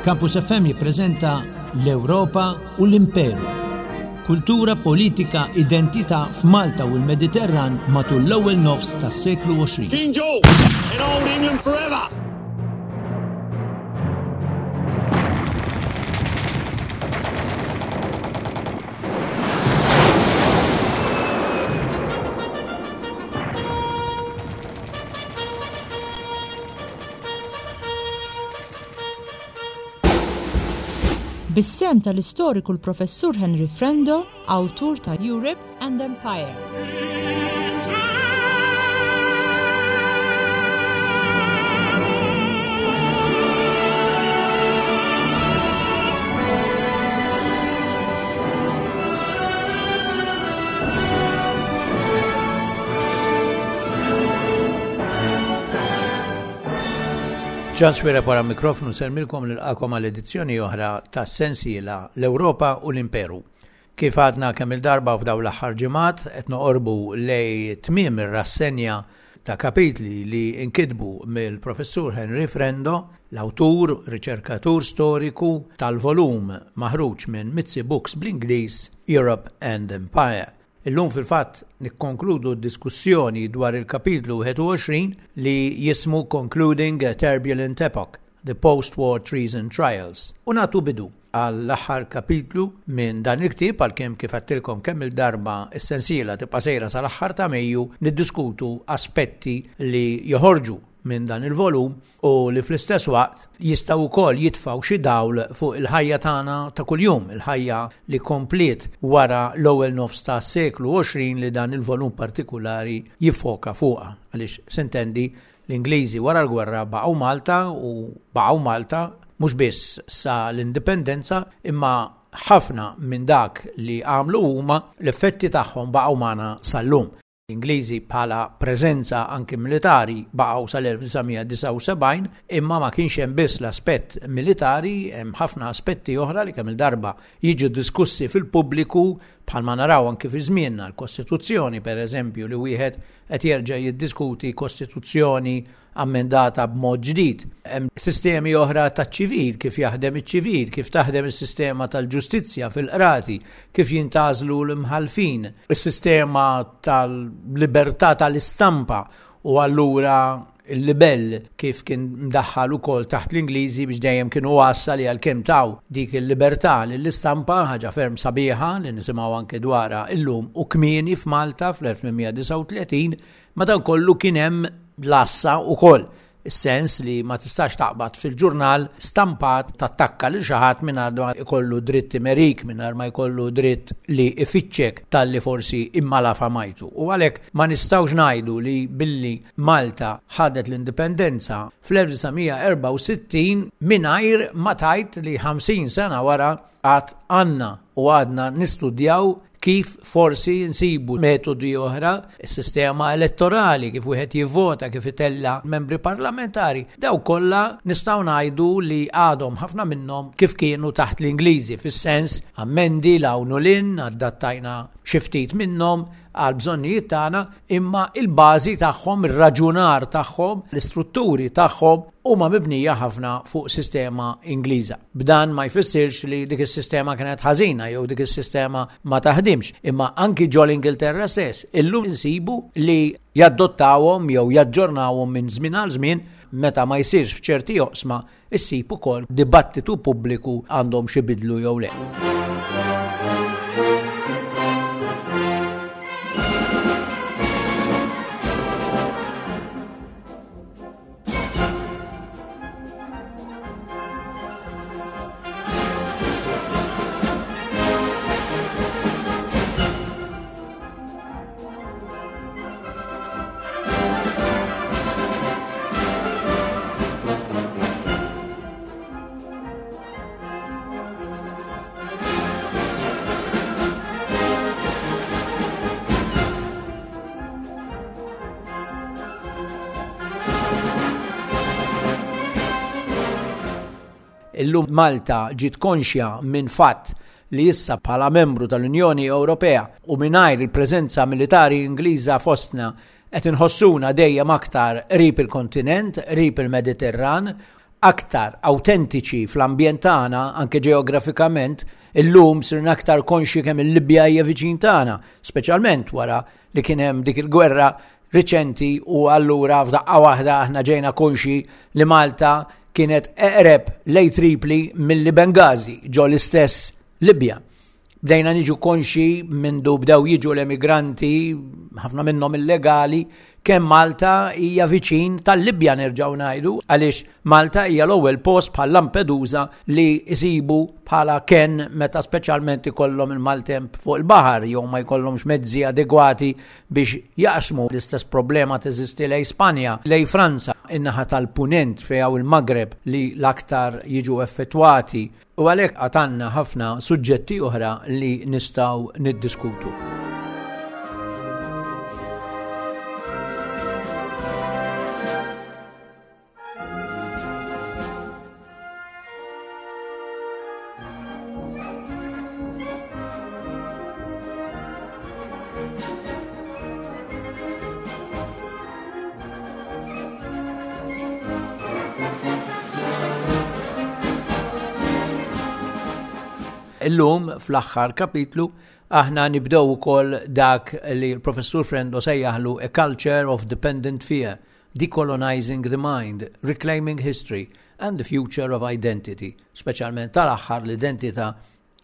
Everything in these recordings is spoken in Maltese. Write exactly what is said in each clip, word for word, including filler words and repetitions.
Campus F M jippreżenta L-Ewropa u l-Imperu. Kultura, politika, identità f'Malta u l-Mediterran matul l-ewwel nofs tas-seklu għoxrin. King George in Old England forever! Bis-sehem tal-istoriku l-Professur Henry Frendo, awtur ta' Europe and Empire. Charles Xuereb wara mikrofonu nsellmilkom, nilqagħkom għal edizzjoni oħra ta' sensiela L-Ewropa u l-Imperu. Kif għadna kemm il-darba f'daw l-aħħar ġimgħat, qed noqorbu lej tmiem ir-rassenja ta' kapitli li inkitbu mill-Professur Henry Frendo, l-awtur, riċerkatur storiku tal-volum maħruġ minn Mizzi Books bl-Ingliż Europe and Empire. Illum fil-fatt nikkonkludu d-diskussjoni dwar il-kapitlu wieħed u għoxrin li jismu Concluding a Turbulent Epoch, The Post-War Treason Trials. U nagħtu bidu għall-aħħar kapitlu minn dan il-ktieb, għalkemm, kif għedtilkom kemm il-darba, is-sensiela tibqa' sejra sal-aħħar ta' Mejju, niddiskutu aspetti li joħorġu minn dan il-volum u li fl-istess waqt jistgħu wkoll jitfgħu xi dawl fuq il-ħajja tagħna ta' kuljum, il-ħajja li kompliet wara l-ewwel nofs ta' seklu għoxrin li dan il-volum partikolari jiffoka fuqha. Għaliex s'intendi l-Ingliżi wara l-gwerra baqgħu Malta u baqgħu Malta mhux biss sa l-indipendenza, imma ħafna minn dak li għamlu huma, l-effetti tagħhom baqgħu magħna sal-lum. Ingliżi bħala preżenza anki militari baqgħu sal-elf disa' mija disgħa u sebgħin, imma ma kienx hemm biss l-aspett militari, hemm ħafna aspetti oħra li kemm il-darba jiġu diskussi fil-pubbliku, bħalma naraw anki fi żmienna l-Kostituzzjoni, per eżempju, li wieħed qed jerġa' jiddiskuti kostituzzjoni ammendata b'mod ġdid. Hemm sistemi oħra taċ-ċivil, kif jaħdem iċ-ċivil, kif taħdem is-sistema tal-ġustizzja fil-qrati, kif jintgħażlu l-imħalfin, is-sistema tal-libertà tal-istampa u allura il-libell kif kien mdaħħal ukoll taħt l-Ingliżi, biex dejjem kienu għassa li għalkemm taw dik il-libertà lill-istampa, ħaġa ferm sabiħa li nisimgħu anke dwarha illum, u kmieni f'Malta fl-elf tmien mija disgħa u tletin, madankollu kien hemm l-għassa ukoll, is-sens li ma tistax taqbad fil-ġurnal stampat tattakka lil xi ħadd mingħajr ma jkollu dritt imerik, mingħajr ma jkollu dritt li ifittxek talli forsi immalafamajtu. U għalhekk ma nistgħux ngħidu li billi Malta ħadet l-indipendenza fl-elf disa' mija erbgħa u sittin mingħajr ma tajt li ħamsin sena wara għad għandna u għadna nistudjaw kif forsi nsibu metodi oħra, is-sistema elettorali, kif wieħed jivvota, kif itella membri parlamentari, daw kollha nistgħu ngħidu li għadhom ħafna minnhom kif kienu taħt l-Ingliżi, fis-sens ammendi 'l hawn u 'l hinn, adattajna xi ftit minnhom għal bżonnijiet tagħna, imma il-bażi tagħhom, ir-raġunar tagħhom, l-istrutturi tagħhom huma mibnija ħafna fuq sistema Ingliża. B'dan ma jfissirx li dik is-sistema kienet ħażina jew dik is-sistema ma taħdimx, imma anki ġol Ingilterra stess illum insibu li jaddottawhom jew jaġġornawhom minn żmien għal żmien. Meta ma jsirx f'ċerti oqsma, issib ukoll dibattitu pubbliku għandhom xi bidlu jew le. Illum Malta ġiet konxja minn fatt li issa bħala membru tal-Unjoni Ewropea u mingħajr il-preżenza militari Ingliża fostna qed inħossuna dejjem aktar qrib il-kontinent, qrib il-Mediterran. aktar awtentiċi fl-ambjent tagħna, anke ġeografikament, illum sirna aktar konxi kemm il-Libja hija viċin tagħna, speċjalment wara li kien hemm dik il-gwerra riċenti u allura f'daqqa waħda aħna ġejna konxi li Malta kienet eqreb lej Tripli milli Bengazi ġo l-istess Libja. Bdejna niġu konxi mindu bdew jiġu l-emigranti, ħafna minnhom illegali, kemm Malta hija viċin tal-Libja nerġgħu ngħidu, għaliex Malta hija l-ewwel post bħal Lampedusa li jsibu bħala ken meta speċjalment ikollhom il-maltemp fuq il-baħar jew ma jkollhomx mezzi adegwati biex jaqsmu. L-istess problema teżisti lej Spanja, lej Franza, in-naħa tal-Punent fejn hawn il-Magreb li l-aktar jiġu effettwati. U għalhekk għad għandna ħafna suġġetti oħra li nistgħu niddiskutu. Illum fl-aħħar kapitlu aħna nibdew ukoll dak li l-Professur Frendo sejjaħlu A Culture of Dependent Fear, Decolonizing the Mind, Reclaiming History and the Future of Identity. Speċjalment tal-aħħar l-identità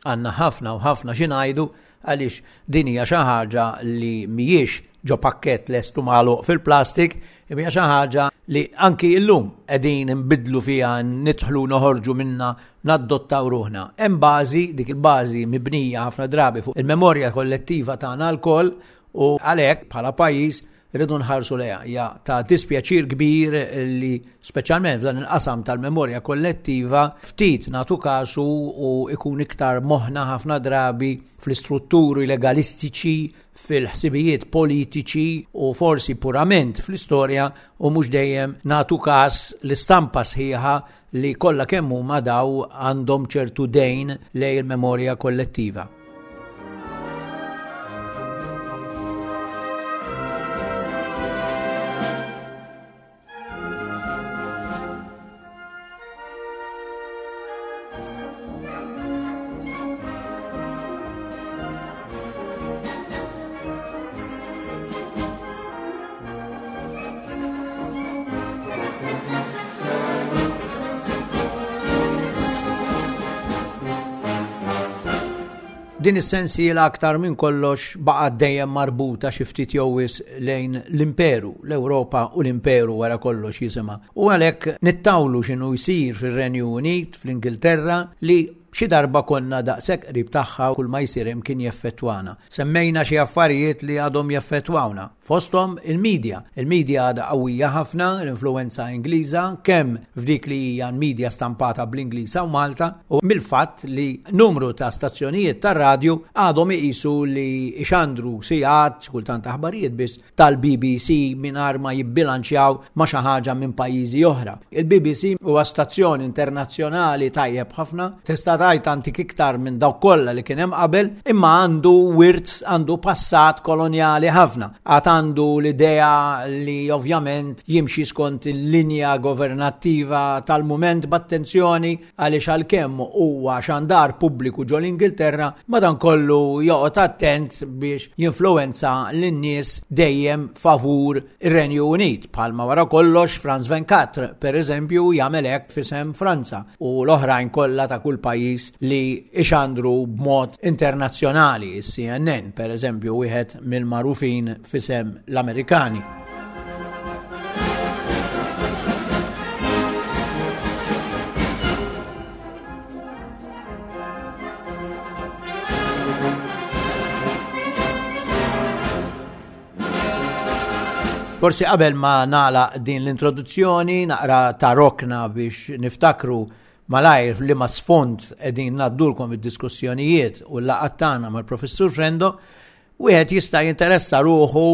għandna ħafna u ħafna xi ngħidu għaliex din hija xi ħaġa li mhijiex ġo pakkett lestu magħluq fil-plastik, hija xi ħaġa li anki illum qegħdin nbidlu fiha, nidħlu noħorġu minna, naddottaw ruħna. Hemm bażi, dik il-bażi mibnija ħafna drabi fuq il-memorja kollettiva tagħna lkoll u għalhekk bħala pajjiż irridu nħarsu lejha. Hija ta' dispjaċir kbir li speċjalment f'dan il-qasam tal-memorja kollettiva ftit nagħtu kasu u ikun iktar moħħna ħafna drabi fl-istrutturi legalistiċi, fil-ħsibijiet politiċi u forsi purament fl-istorja u mhux dejjem nagħtu każ l-istampa sħiħa li kollha kemm huma daw għandhom ċertu dejn lejn il-memorja kollettiva. Din is-sensiela aktar minn kollox baqgħet dejjem marbuta xi ftit jew wisq lejn l-imperu, l-Ewropa u l-imperu wara kollox jisimha. U għalhekk nittawlu x'inhu jsir fir-Renju Unit, fl-Ingilterra, li xi darba konna daqshekk qrib tagħha kull ma jsir hemm kien jeffettwana. Semmejna xi affarijiet li għadhom jeffettwawna. Fosthom il-medja. Il-medja għadha qawwija ħafna, l-influenza Ingliża, kemm f'dik li hija l-medja stampata bl-Ingliż u Malta, u mill-fatt li numru ta' stazzjonijiet tar-radju għadhom iqisu li ixandru sigħat, kultant aħbarijiet biss, tal-B B C mingħajr ma jibbilanċjaw ma' xi ħaġa minn pajjiżi oħra. Il-B B C huwa stazzjon internazzjonali tajjeb ħafna, tista' tgħid antik iktar minn dawk kollha li kien hemm qabel, imma għandu wirt, għandu passat kolonjali ħafna. Għad għandu l-idea li ovvjament jimxi skont il-linja governattiva tal-mument b'attenzjoni għaliex għalkemm huwa xandar pubbliku ġol Ingilterra, madankollu joqgħod attent biex jinfluwenza lin-nies dejjem favur ir-Renju Unit. Bħalma wara kollox Franz Venkatr, per eżempju, jagħmel hekk f'isem Franza u l-oħrajn kollha ta' kull pajjiż li ixandru b'mod internazzjonali, is-C N N per eżempju, wieħed mill-magħrufin f'isem l-Amerikani. Forsi qabel ma nagħlaq din l-introduzzjoni naqra ta' rokna biex niftakru malajr li ma sfond qegħdin ngħaddulkom id-diskussjonijiet u l-laqgħat tagħna mal-Professur Frendo, wieħed jista' jinteressa ruħu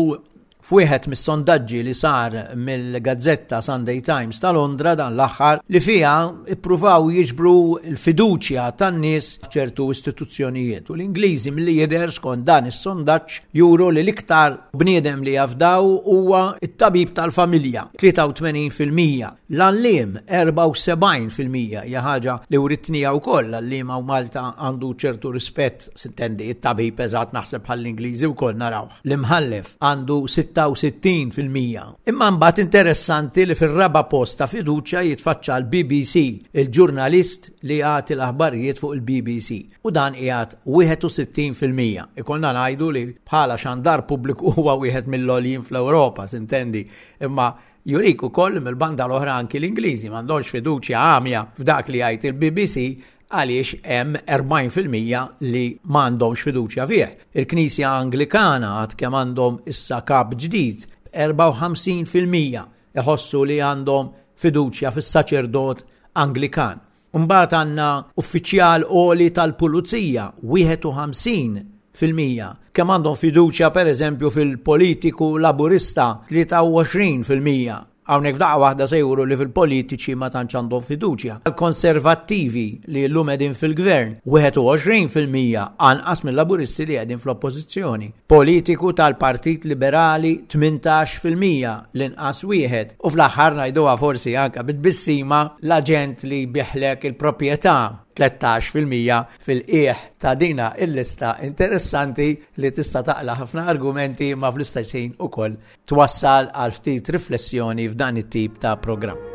F'wieħed mis-sondaġġi li sar mill-gazzetta Sunday Times ta' Londra dan l-aħħar li fiha ippruvaw jiġbru l-fiduċja tan-nies f'ċertu istituzzjonijiet. U l-Ingliżi milli jidher skont dan is-sondaġġ juru li l-iktar bniedem li jafdaw huwa t-tabib tal-familja, tlieta u tmenin fil-mija. L-għalliem erbgħa u sebgħin fil-mija, hija ħaġa li writnija wkoll, l-għalliem hawn Malta għandu ċertu rispett, sintendi it-tabib eżatt naħseb bħall-Ingliżi wkoll naraw. L-imħallef għandu sitta u sittin fil-mija. Imma mbagħad interessanti li fir-raba' post ta' fiduċja jitfaċċa l-B B C, il-ġurnalist li jagħti l-aħbarijiet fuq il-B B C, u dan qiegħed wieħed u sittin fil-mija. Ikollna ngħidu li bħala xandar pubbliku huwa wieħed mill-għoljin fl-Ewropa, sintendi, imma jurik ukoll mill-banda l-oħra anki l-Ingliżi m'għandhomx fiduċja għamja f'dak li jgħid il-B B C għaliex hemm erbgħin fil-mija li m'għandhomx fiduċja fih. Il-Knisja Anglikana għad kemm għandhom issa kap ġdid, erbgħa u ħamsin fil-mija iħossu li għandhom fiduċja fis-saċerdot Anglikan. Mbagħad għandna uffiċjal għoli tal-pulizija, wieħed u ħamsin fil-mija. Kemm għandhom fiduċja pereżempju fil-politiku laburista, tlieta u għoxrin fil-mija. Hawnhekk f'daqqa waħda se juru li fil-politiċi ma tantx għandhom fiduċja. Il-konservattivi li llum qegħdin fil-gvern, wieħed u għoxrin fil-mija anqas mill-laburisti li qegħdin fl-oppożizzjoni. Politiku tal-Partit Liberali tmintax fil-mija, l-inqas wieħed. U fl-aħħar ngħiduha forsi anke bit-tbissima l-aġent li biħlek il-proprjetà tlettax fil-mija fil-qiegħ ta' dina il-lista interessanti li tista' taqla' ħafna argumenti ma fl-istess ħin ukoll twassal għal ftit riflessjoni f'dan it-tip ta' programm.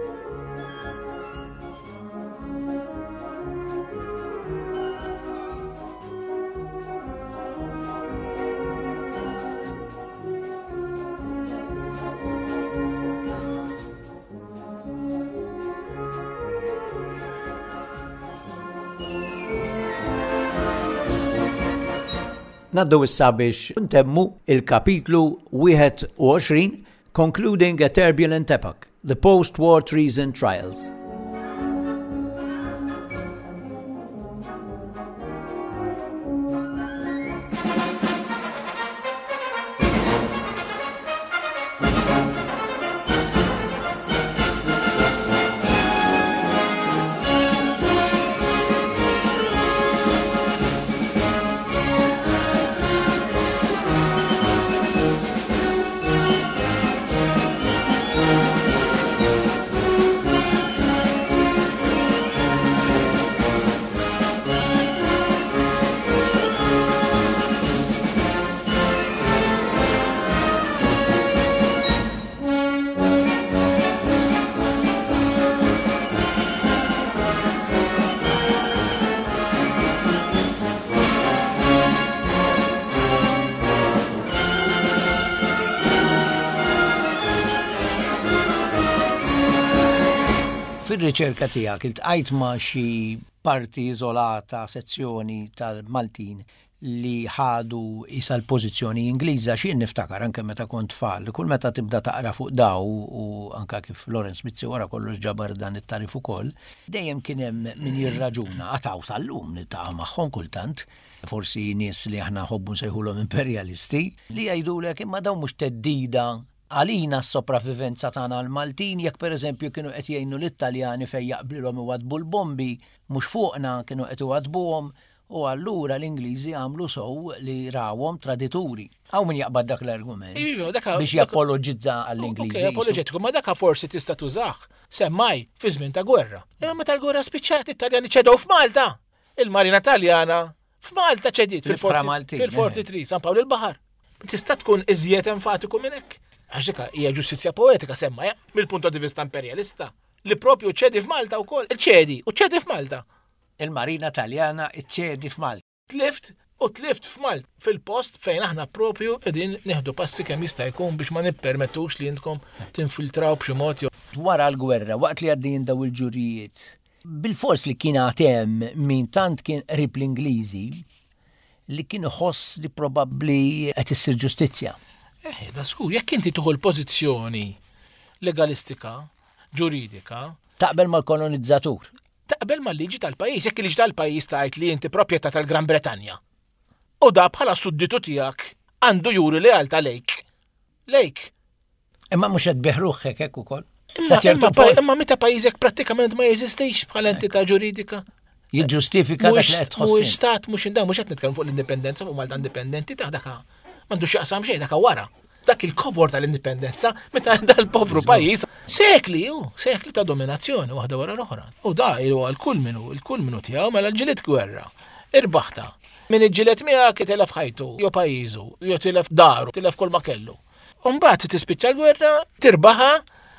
Naddu issa biex ntemmu il-kapitlu wieħed u għoxrin, Concluding a Turbulent Epoch, the Post-War Treason Trials. Fir-riċerka tiegħek iltqajt ma' xi parti iżolata, sezzjoni tal-Maltin li ħadu isa l-pożizzjoni Ingliża, xi niftakar anke meta kont tfal, kull meta tibda taqra fuq daw u anke kif Lawrence Mizzi wara kollox ġabar dan it-tarif ukoll, dejjem kien hemm min jirraġuna, għataw sal-lum niltaqa' magħhom kultant, forsi nies li aħna nħobbu nsejħulhom imperjalisti, li jgħidulek imma dawn mhux teddida għalina s-sopravivenza tagħna l-Maltin, jekk pereżempju kienu qed jgħinu l-Italjani fejn jaqblilhom iwadbu l-bombi, mhux fuqna kienu qed iwadbuhom, u allura l-Ingliżi għamlu sew li rawhom tradituri. Hawn min jaqbad dak l-argument Iva, daka- biex daka- japoloġizza għall-Ingliżi. Ok, apoloġetiku, ma daka forsi tista' tużah semmaj fi żmien ta' gwerra. Imma meta l-gwerra spiċċat, it-Taljani ċedew f'Malta. Il-Marina Taljana f'Malta ċediet Fil-Fra fil-forty Maltin, fil-forty eh. three, San Pawl il-Baħar. Tista' tkun iżjed enfatiku minn hekk. Għax dik hija ġustizzja poetika semma, ja, mill-punt di vista imperjalista, li propju ċedi f'Malta wkoll. Ċedi, u ċedi f'Malta. Il-Marina Taljana ċedi f'Malta. Tlift u tlift f'Malta, fil-post fejn aħna propju qegħdin nieħdu passi kemm jista' jkun biex ma nippermettux li intkom tinfiltraw b'xi mod jew Wara l-gwerra, waqt li għaddejjin daw il-ġurijiet, bil-fors li kien għad hemm min tant kien qrib l-Ingliżi li kien iħoss li probabbli qed issir ġustizzja. Eh, da skur, jekk inti tieħu l-pożizzjoni legalistika, ġuridika, Taqbel mal-kolonizzatur. Taqbel mal-liġi tal-pajjiż, jekk il-liġi tal-pajjiż tgħid li inti proprjetà tal-Gran Bretanja. U da bħala sudditu tiegħek għandu juri lealtà lejk. Lejk. Imma mhux qed beħruħek hekk ukoll. Imma meta pajjiżek prattikament ma jeżistix bħala entità ġuridika. Jiġġustifika dak li qed tħoss. Mhux stat, mhux indan, mhux qed nitkellmu fuq l-indipendenza, fuq Malta indipendenti ta' daka. M'għandux x'jaqsam xejn daka wara. Dak il-kobor tal-indipendenza meta dal-povru pajjiż sekli, u sekli ta' dominazzjoni waħda wara l-oħra. U da huwa l-kulminu, il-kulminu tiegħu mela ġilit gwerra. Irbaħta. Min iġġieled miegħek tilef ħajtu, jew pajjiżu, jew tilef daru, tilef kull ma kellu. U mbagħad tispiċċa l-gwerra, tirbaħa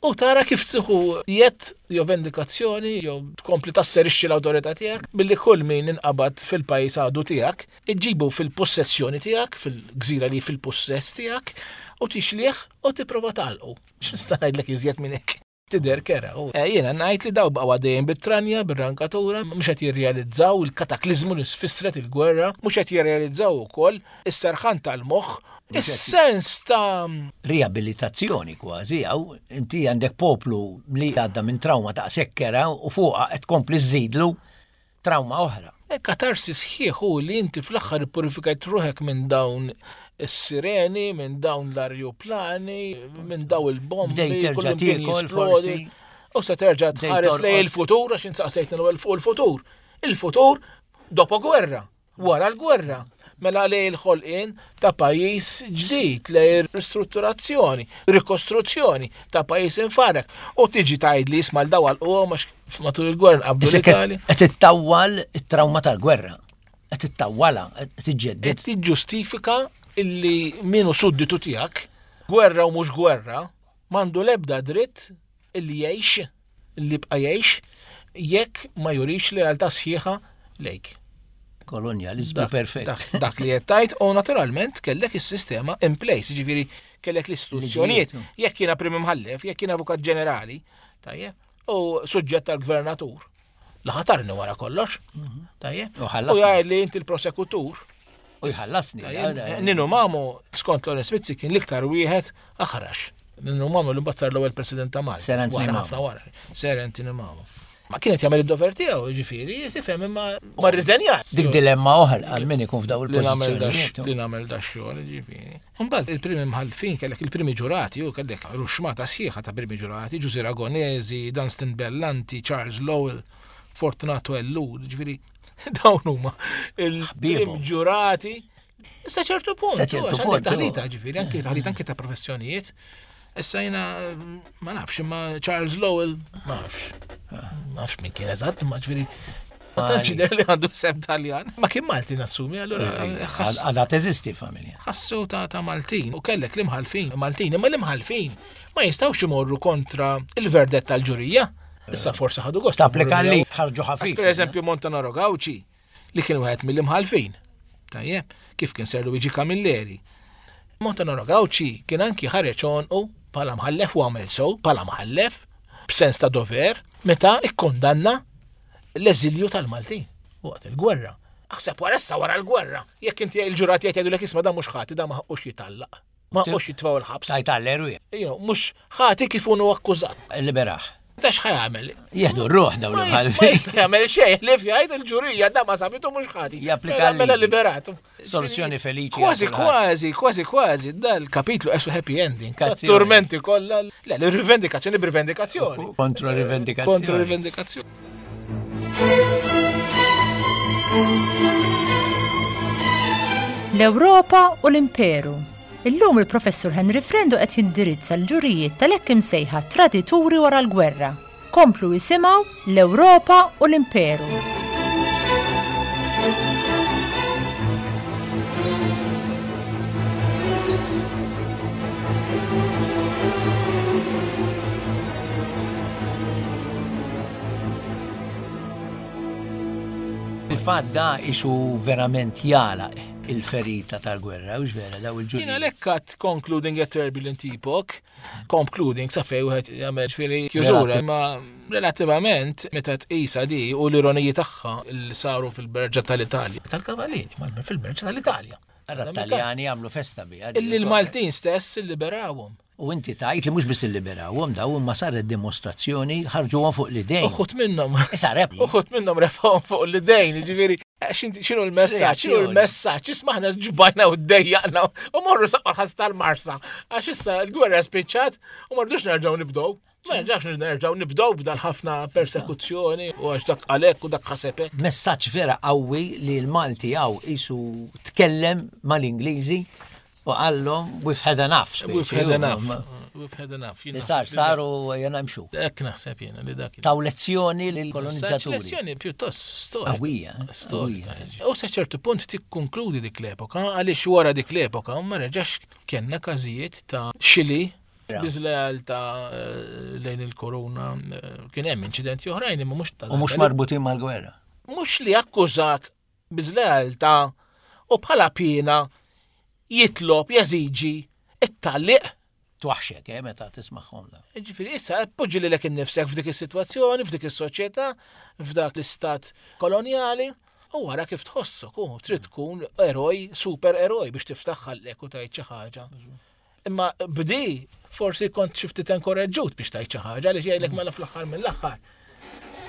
u tara kif tieħu jett jew vendikazzjoni jew tkompli tasserixxi l-awtorità tiegħek billi kull min inqabad fil-pajjiż għadu tiegħek, iġġibu fil-possessjoni tiegħek, fil-gżira li fil-possess tiegħek, u tixlih u tipprova tagħlqu. X'nista' ngħidlek iżjed minn hekk? Tidher kera. U jiena ngħid li daw baqgħu għaddejjin bit-tranja, bir-rankatura, mhux qed jirrealizzaw il-kataklizmu li sfissret il-gwerra, mhux qed jirrealizzaw ukoll is-serħan tal-moħħ, is-sens ta' riabilitazzjoni kważi, għaw inti għandek poplu li għadda minn trauma ta' sekkera u fuqha qed tkompli żżidlu trauma oħra. Katarsi sħiħ hu li inti fl-aħħar ippurifikajt ruħek minn dawn is-sireni, minn dawn l-arjuplani, minn dawn il-bombi. Bdejt terġa' tiekol forsi. U se terġa' tħares lejn il-futur, għax insaqsejtna l-ewwel fuq il-futur. Il-futur dopo gwerra, wara l-gwerra. Mela lejn il-ħolqien ta' pajjiż ġdid, lejn ristrutturazzjoni, rikostruzzjoni ta' pajjiż infarek. U tiġi tgħidli isma' l daw għalquhom għax matul il-gwerra nqabdu l-Italja. Qed ittawwal it-trauma tal-gwerra. Qed ittawwalha, qed tiġġedded. Qed tiġġustifika illi min hu sudditu tiegħek, gwerra u mhux gwerra, m'għandu l-ebda dritt illi jgħix, illi jibqa' jgħix, jekk ma jurix lealtà sħiħa lejk. Kolonjalizmu perfett. Dak li qed tgħid, u naturalment kellek is-sistema in place, jiġifieri kellek l-istituzzjonijiet. Jekk jiena prim imħallef, jekk jiena avukat ġenerali, tajjeb, u suġġett tal-gvernatur, li ħatarni wara kollox, tajjeb, U u ħallasni. jgħid li inti l-prosekutur. U jħallasni. Ninu Mamo, skont Lawrence Mizzi, kien l-iktar wieħed aħrax. Ninu Mamo li mbagħad sar l-ewwel president ta' Malta. Sir Anthony Wara Mamo. ħafna wara. Sir Anthony Mamo. Ma kienet jagħmel id-dover tiegħu, jiġifieri, tifhem imma ma rriżenjax. Dik dilemma oħra għal min ikun f'daw Li nagħmel il-pożizzjonijiet. li nagħmel da xogħol, jiġifieri. Imbagħad il-primi mħallfin kellek il-primi ġurati, u kellek ruxmata sħiħa ta' primi ġurati, Ġużi Ragonesi, Dunstan Bellanti, Charles Lowell, Fortunato Ellul, jiġifieri dawn huma il-primi ġurati. Sa ċertu punt, Sa ċertu għax għandek punt, taħlita, ġifieri, anke taħlita anke ta' professjonijiet. Issa jiena ma nafx, imma Charles Lowell, ma nafx. Ma nafx min kien eżatt, ma ġifieri. Ma tantx jidher li għandu sem Taljan. Ma kien Malti nassumi, allura ħass- Għadha teżisti familja. ħassu ta' ta' Maltin u kellek l-imħalfin, Maltin, imma l-imħalfin ma jistgħux imorru kontra il-verdett tal-ġurija. Issa forsi ħadu gost. Tapplika imorru li miegħu. ħarġu ħafif. Per eżempju Montanaro Gauci, li kien wieħed mill-imħalfin. Tajjeb, kif kien Sir Luigi Camilleri. Montanaro Gauci kien anki ħareġ għonqu bħala mħallef u għamel sew bħala mħallef b'sens ta' dover meta ikkondanna l-eżilju tal-Maltin waqt il-gwerra. Aħseb wara issa wara l-gwerra. Jekk inti il-ġurati qed jgħidulek isma' dan mhux ħati, dan ma ħaqqux jitallaq. Ma ħaqqux jitfgħu l-ħabs. Tajt għall-erwieħ. Ejja, mhux ħati kif hu akkużat. Liberaħ. Da x'ħajamel? Jieħdu r-ruħ dawn Ma jista' l-imħallfin. jista' jagħmel xejn, li jgħid il-ġurija da ma sabitu mhux ħati. Japplika Mela- Mela l-liġi. liberatu. Soluzzjoni feliċi Kważi, għal kulħadd. kważi, kważi, kważi, dal-kapitlu esu happy ending. Kazzjoni. Turmenti kollha. Le, l-rivendikazzjoni b'rivendikazzjoni. Kontro rivendikazzjoni. Kontro rivendikazzjoni. L-Ewropa u l-Imperu. Illum il-professur Henry Frendo qed jindirizza l-ġurijiet tal-hekk imsejħa tradituri wara l-gwerra. Komplu jisimgħu l-Ewropa u l-Imperu. Il-fatt da isu verament jala il-ferita tal-gwerra, u vera daw il-ġuriji. Jiena lekkat concluding a turbulent epoch, concluding sa fej wieħed jagħmel ġifieri kjużura, Relativ. imma relattivament meta tqisha di u l-ironiji tagħha li saru fil-Berġa tal-Italja. Tal-Kavalini, ma fil-Berġa tal-Italja. Ara Taljani għamlu festa biha. Illi l-Maltin stess illiberawhom. U inti tajt li mhux biss illiberawhom daw imma saret dimostrazzjoni ħarġuhom fuq l-idejn. Uħut minnhom. Issa reb. Uħut minnhom refgħuhom fuq l-idejn, jiġifieri X'inhu l-messaġġ? X'inhu l-messaġġ? Isma' aħna ġbajna u ddejjaqna u morru saqqa ħas tal-Marsa. Għax issa l-gwerra spiċċat u ma rridux nerġgħu nibdew. Ma nerġgħux nerġgħu nibdew b'dal ħafna persekuzzjoni u għax dak għalhekk u dak ħasebek. Messaġġ vera qawwi li l-Malti hawn qisu tkellem mal-Ingliżi u qallhom we've had enough. We've had enough. We've had enough. Li sar sar u jena mxu. Hekk naħseb jiena li dak. Taw lezzjoni lill-kolonizzaturi. Lezzjoni pjuttost storika. Qawwija. Storika. U sa ċertu punt tikkonkludi dik l-epoka, għaliex wara dik l-epoka ma reġax kellna każijiet ta' xili biżlealtà lejn il-korona, kien hemm inċidenti oħrajn imma mhux ta' U mhux marbutin mal-gwerra. Mhux li akkużak biżlealtà u bħala piena jitlob, jeżiġi it-talliq. Twaħxek, eh, meta tismagħhom da. Ġifieri, issa poġġi lilek innifsek f'dik is-sitwazzjoni, f'dik is-soċjetà, f'dak l-istat kolonjali, u wara kif tħossok, u trid tkun eroj, super eroj biex tiftaħ ħallek u tgħid xi ħaġa. Imma bdi forsi kont xi ftit enkoraġġut biex tgħid xi ħaġa għaliex jgħidlek mela fl-aħħar mill-aħħar.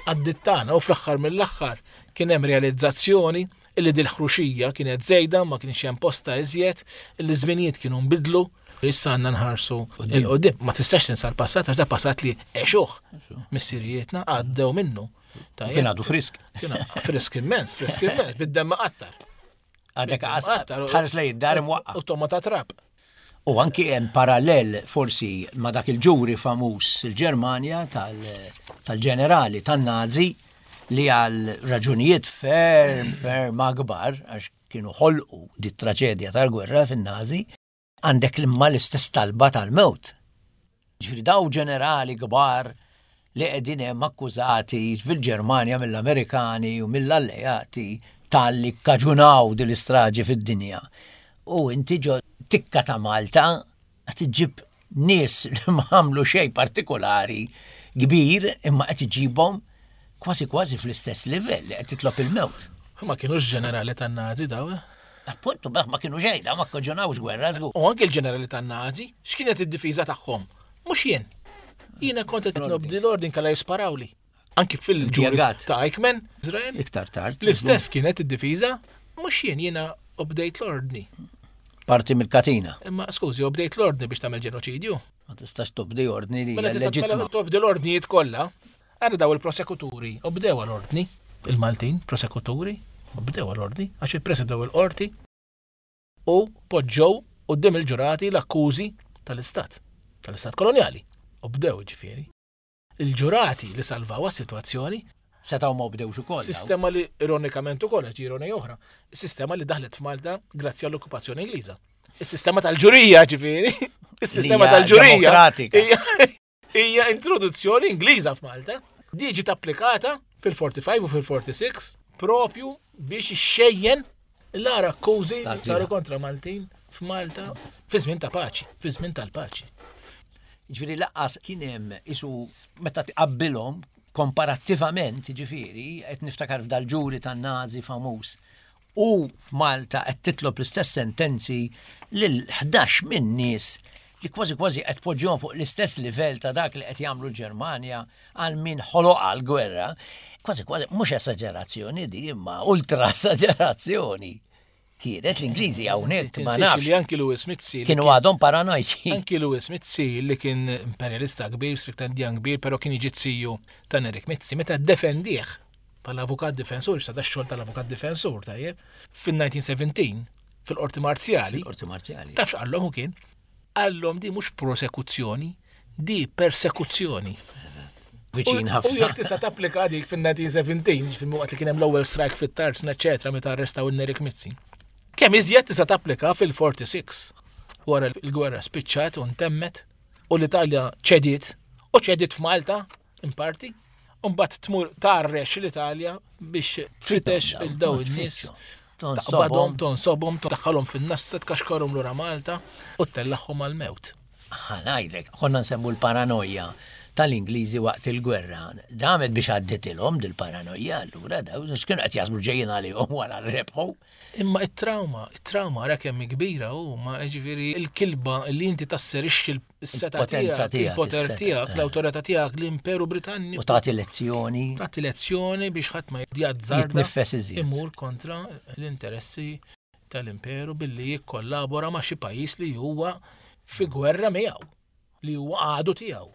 Għaddit tagħna u fl-aħħar mill-aħħar kien hemm realizzazzjoni illi dil-ħruxija kienet żejda, ma kienx hemm posta iżjed, illi żminijiet kienu nbidlu, issa għandna nħarsu il-qudiem. Ma tistax tinsa l-passat għax da passat li għexuh missirijietna għaddew minnu. Kien għadu frisk. Kien frisk immens, frisk immens, bid-demm qattar. Għadek tħares lejn id-dar imwaqqa. U toma ta' trab. U anki hemm parallel forsi ma' dak il-ġuri famuż il-Ġermanja tal-ġenerali tan-Nazi li għal raġunijiet ferm, ferm akbar, għax kienu ħolqu di traġedja tal-gwerra fin-Nazi, għandek imma l-istess talba tal-mewt. Ġifieri daw ġenerali kbar li qegħdin hemm akkużati fil-Ġermanja mill-Amerikani u mill-alleati tal-li kkaġunaw din l-istraġi fid-dinja. U inti ġo tikka ta' Malta qed iġġib nies li ma għamlu xejn partikolari kbir imma qed iġibhom kważi kważi fl-istess livell li qed titlob il-mewt. Ma kienux ġenerali tan-Nazi daw, eh? Appuntu, ma kienu xejn, daw ma kkaġunawx gwerra żgur. U anke l-ġenerali tan-Nazi, x'kienet id-difiża tagħhom? Mhux jien. Jiena kont qed nobdi l-ordin kalla jisparawli. Anki fil-ġuri ta' Eichmann, Izrael. Iktar tard. L-istess kienet id-difiża, mhux jien, jiena obdejt l-ordni. Parti mill-katina. Imma skużi, obdejt l-ordni biex tagħmel ġenoċidju. Ma tistax tobdi ordni li Mela tista' leġittima. Tobdi l-ordnijiet kollha. Ara daw il-prosekuturi, obdew l-ordni. Il-Maltin, prosekuturi, obdew l-ordni, għax ippresedew il-qorti u poġġew quddiem il-ġurati l-akkużi tal-istat, tal-istat kolonjali. Obdew ġifieri. Il-ġurati li salvaw għas-sitwazzjoni Setgħu ma obdewx ukoll. Sistema li ironikament ukoll għax ironija oħra, is-sistema li daħlet f'Malta grazzi għall-okkupazzjoni Ingliża. Is-sistema tal-ġurija ġifieri, is-sistema Li hija tal-ġurija demokratika. hija- hija introduzzjoni Ingliża f'Malta. Di ġiet applikata fil-forty-five u fil-forty-six propju biex ixxejjen l-ara akkużi li saru kontra Maltin f'Malta fi żmien ta' paċi, fi żmien tal-paċi. Ġifieri laqqas kien hemm isu meta tqabbilhom komparattivament, ġifieri, qed niftakar f'dal-ġuri tan-Nazi famuż u f'Malta qed titlob l-istess sentenzi lil ħdax minn nies li kważi kważi qed poġġihom fuq l-istess livell ta' dak li qed jagħmlu l-Ġermanja għal min ħoloq għall-gwerra. Kważi kważi mhux esaġerazzjoni di, imma ultra esaġerazzjoni. Kienet l-Ingliżi hawnhekk ma Tinsiex nafx. li anki Louis Mizzi li Kienu kien- għadhom paranoiċi. Anki Louis Mizzi li kien imperialista kbir, Stricklandian kbir, però kien jiġi ziju ta' Nerik Mizzi, meta ddefendih bħala avukat difensur, sa da xogħol tal-avukat difensur, tajjeb, fin-nineteen seventeen, fil-qorti marzjali. Fil-qorti marzjali. Taf x'qallhom hu kien? Qallhom di mhux prosekuzzjoni, di persekuzzjoni. Viċin U- ħafna. U jekk tista' tapplika dik fin-nineteen seventeen, fil-waqt li kien hemm l-ewwel strike fit-Tarzna, eċetera, meta arrestaw in-Nerik Mizzi. Kemm iżjed tista' tapplika fil-forty-six, wara l-gwerra spiċċat u ntemmet, u l-Italja ċediet, u ċediet f'Malta, in parti, u mbagħad tmur tarrex l-Italja biex tfittex Dawn, il-daw ma in-nies. tfittxu. Taqbadhom, tonsobhom, tdaħħalhom fin-nassa, tkaxkarhom lura Malta u tellagħhom għall-mewt. Ħa ngħidlek, konna nsemmu l-paranoja tal-Ingliżi waqt il-gwerra. Damet biex għadditilhom dil-paranoja allura daw x'kienu qed jaħsbu ġejjin għalihom wara rebħu. Imma it-trauma, it-trauma ra kemm hi kbira u ma ġifieri il-kilba li inti tasserixxi s-seta Il-potenza tiegħek, tiegħek, il-poter is-seta, tiegħek, eh. l-awtorità tiegħek, l-Imperu Britanniku. U tagħti lezzjoni. Tagħti lezzjoni biex ħadd ma jazzarda Jitnifes iżjed. imur kontra l-interessi tal-Imperu billi jikkollabora ma' xi pajjiż li huwa fi gwerra miegħu, li huwa għadu tiegħu.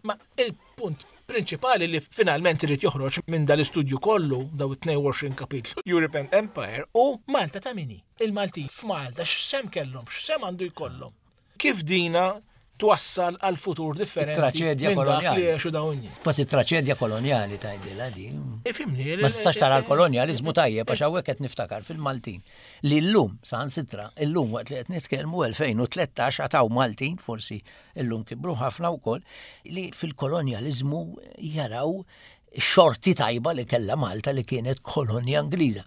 Ma il-punt prinċipali li finalment irid joħroġ minn dal-istudju kollu daw it-tnejn u għoxrin kapitlu European Empire u Malta ta' min hi. Il-Maltin f'Malta x'sehem kellhom, x'sehem għandu jkollhom. Kif dina twassal għal futur differenti It-traċedja minn dak kolonjali. li għexu dawn in-nies. Kważi traċedja kolonjali tgħidilha din. Ifhimni, Ma tistax tara l-kolonjalizmu tajjeb għax hawnhekk qed niftakar fil-Maltin li llum saħansitra illum waqt li qed nitkellmu elfejn u tlettax għad hawn Maltin, forsi illum kibru ħafna wkoll, li fil-kolonjalizmu jaraw xorti tajba li kella Malta li kienet kolonja Ingliża.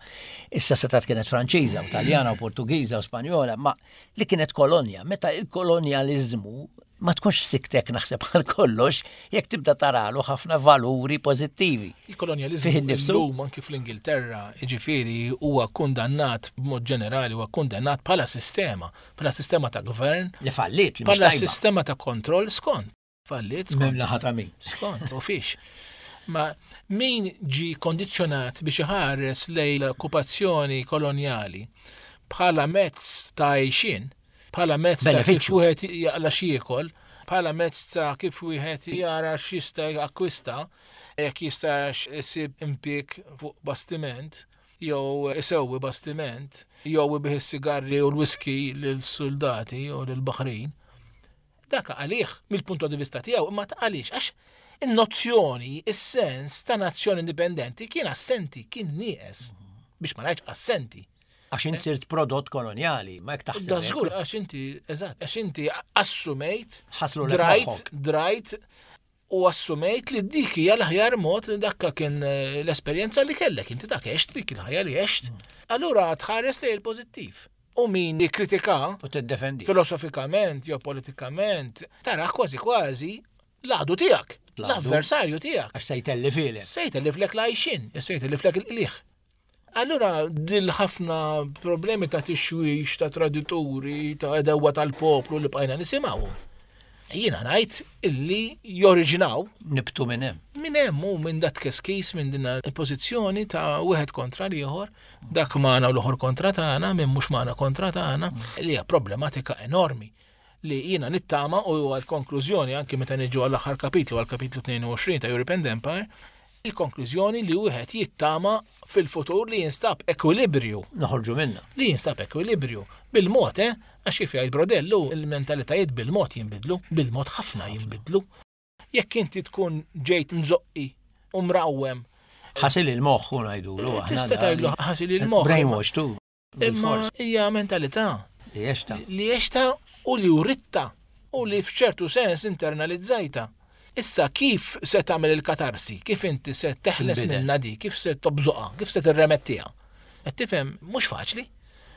Issa setat kienet Franċiża u Taljana u Portugiża u Spanjola, ma li kienet kolonja. Meta il-kolonjalizmu ma tkunx siktek naħseb għal kollox jekk tibda taralu ħafna valuri pożittivi. Il-kolonjalizmu Fih innifsu. illum anki fl-Ingilterra, jiġifieri huwa kundannat b'mod ġenerali, huwa kundannat bħala sistema, bħala sistema ta' gvern, Li fallit, li mhux bħala tajba. sistema ta' kontroll skont. Fallit, skont. Minn naħa ta' min. Skont, u fiex. Ma min ġi kondizjonat biex iħares lejn l-okkupazzjoni kolonjali bħala mezz ta' għajxin, bħala mezz ta' kif Benefiċċju. wieħed jaqla x'jiekol, bħala mezz ta' kif wieħed jara x'jista' jakkwista, jekk jistax isib impjieg fuq bastiment, jew isewwi bastiment, jew ibigħ is-sigarri u l-whisky lill-soldati u lill-baħrin. Dak għalih mill-punt di vista tiegħu, imma ta' għaliex għax in-nozzjoni, is-sens ta' nazzjoni indipendenti kien assenti, kien nieqes. Biex ma ngħidx assenti. Għax int sirt prodott kolonjali, ma jekk taħseb. Da hekk. żgur, għax inti, eżatt, għax inti assumejt, Ħaslu lek drajt, moħħok. drajt u assumejt li dik hija l-aħjar mod li dakka kien eh, l-esperjenza li kellek, inti dak għext dik il-ħajja li għext. Allura tħares li il-pożittiv. U min jikkritika U tiddefendi. filosofikament jew politikament, taraħ kważi kważi l-għadu tiegħek, L-għadu. l-avversarju tiegħek. Għax se jtellifhielek. Se jtelliflek l-għajxin, se jtelliflek il-qliħ. Allura, dil ħafna problemi ta' tixwix, ta' tradituri, ta' għedewwa tal-poplu li bqajna nisimgħu. Jiena ngħid illi joriġinaw Nibtu minn hemm. minn hemm u minn dat keskis minn din il-pożizzjoni ta' wieħed kontra l-ieħor, dak magħna u l-oħor kontra tagħna, minn mhux magħna kontra tagħna, li hija problematika enormi li jiena nittama u għal konklużjoni anki meta niġu għall-aħħar kapitlu, għal kapitlu tnejn u għoxrin ta' European Empire, il-konklużjoni li wieħed jittama fil-futur li jinstab ekwilibrju Noħorġu minna. li jinstab ekwilibrju bil-mod, eh? Għax kif jgħid Brodellu, il-mentalitajiet bil-mod jinbidlu, bil-mod ħafna jinbidlu. Jekk inti tkun ġejt mżoqqi u mrawwem, Ħasil il-moħħ u ngħidulu aħna. tista' tgħidlu ħasil il-moħħ. Brainwash tu. Imma Bil-fors. hija mentalità Li għexta. li għexta u li uritta u li f'ċertu sens internalizzajta. Issa kif se tagħmel il-katarsi? Kif inti se teħles Tinbidel. minna di? Kif se tobżoqha? Kif se tirremettiha? Qed tifhem mhux faċli.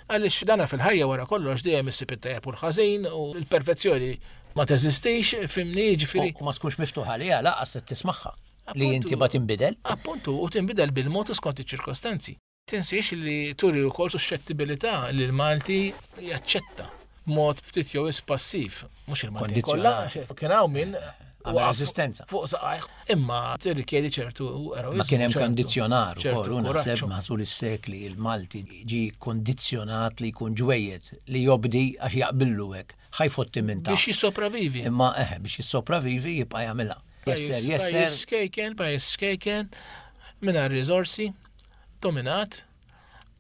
Għaliex dana fil-ħajja wara kollox dejjem issib it-tajjeb u l-ħażin u l-perfezzjoni ma teżistix, fhimni, ġifieri. U ma tkunx miftuħa għaliha lanqas li tismagħha. Li Appuntu. inti ma tinbidel. Appuntu, u tinbidel bil-mod u skont iċ-ċirkostanzi. Tinsiex li turi wkoll suscettibilità li l-Malti jaċċetta b'mod ftit jew passiv, mhux il-Malti kollha, Kondizzjonat. kien hawn min Għamel waqaf resistenza. Fuq saqajh, imma tirrikjedi ċertu eroiżmu. Ma kien hemm ċertu- kondizzjonar ċertu ukoll, u naħseb kuraġġ. matul is-sekli il-Malti ġi kondizzjonat li jkun ġwejjed li jobdi għax jaqbillu hekk. Ħa jfotti minn ta' Biex jissopravivi. Imma eħe biex jissopravivi jibqa' jagħmilha. Jesser, jesser. Pajjiż xkejken, pajjiż xkejken, mingħajr riżorsi, dominat,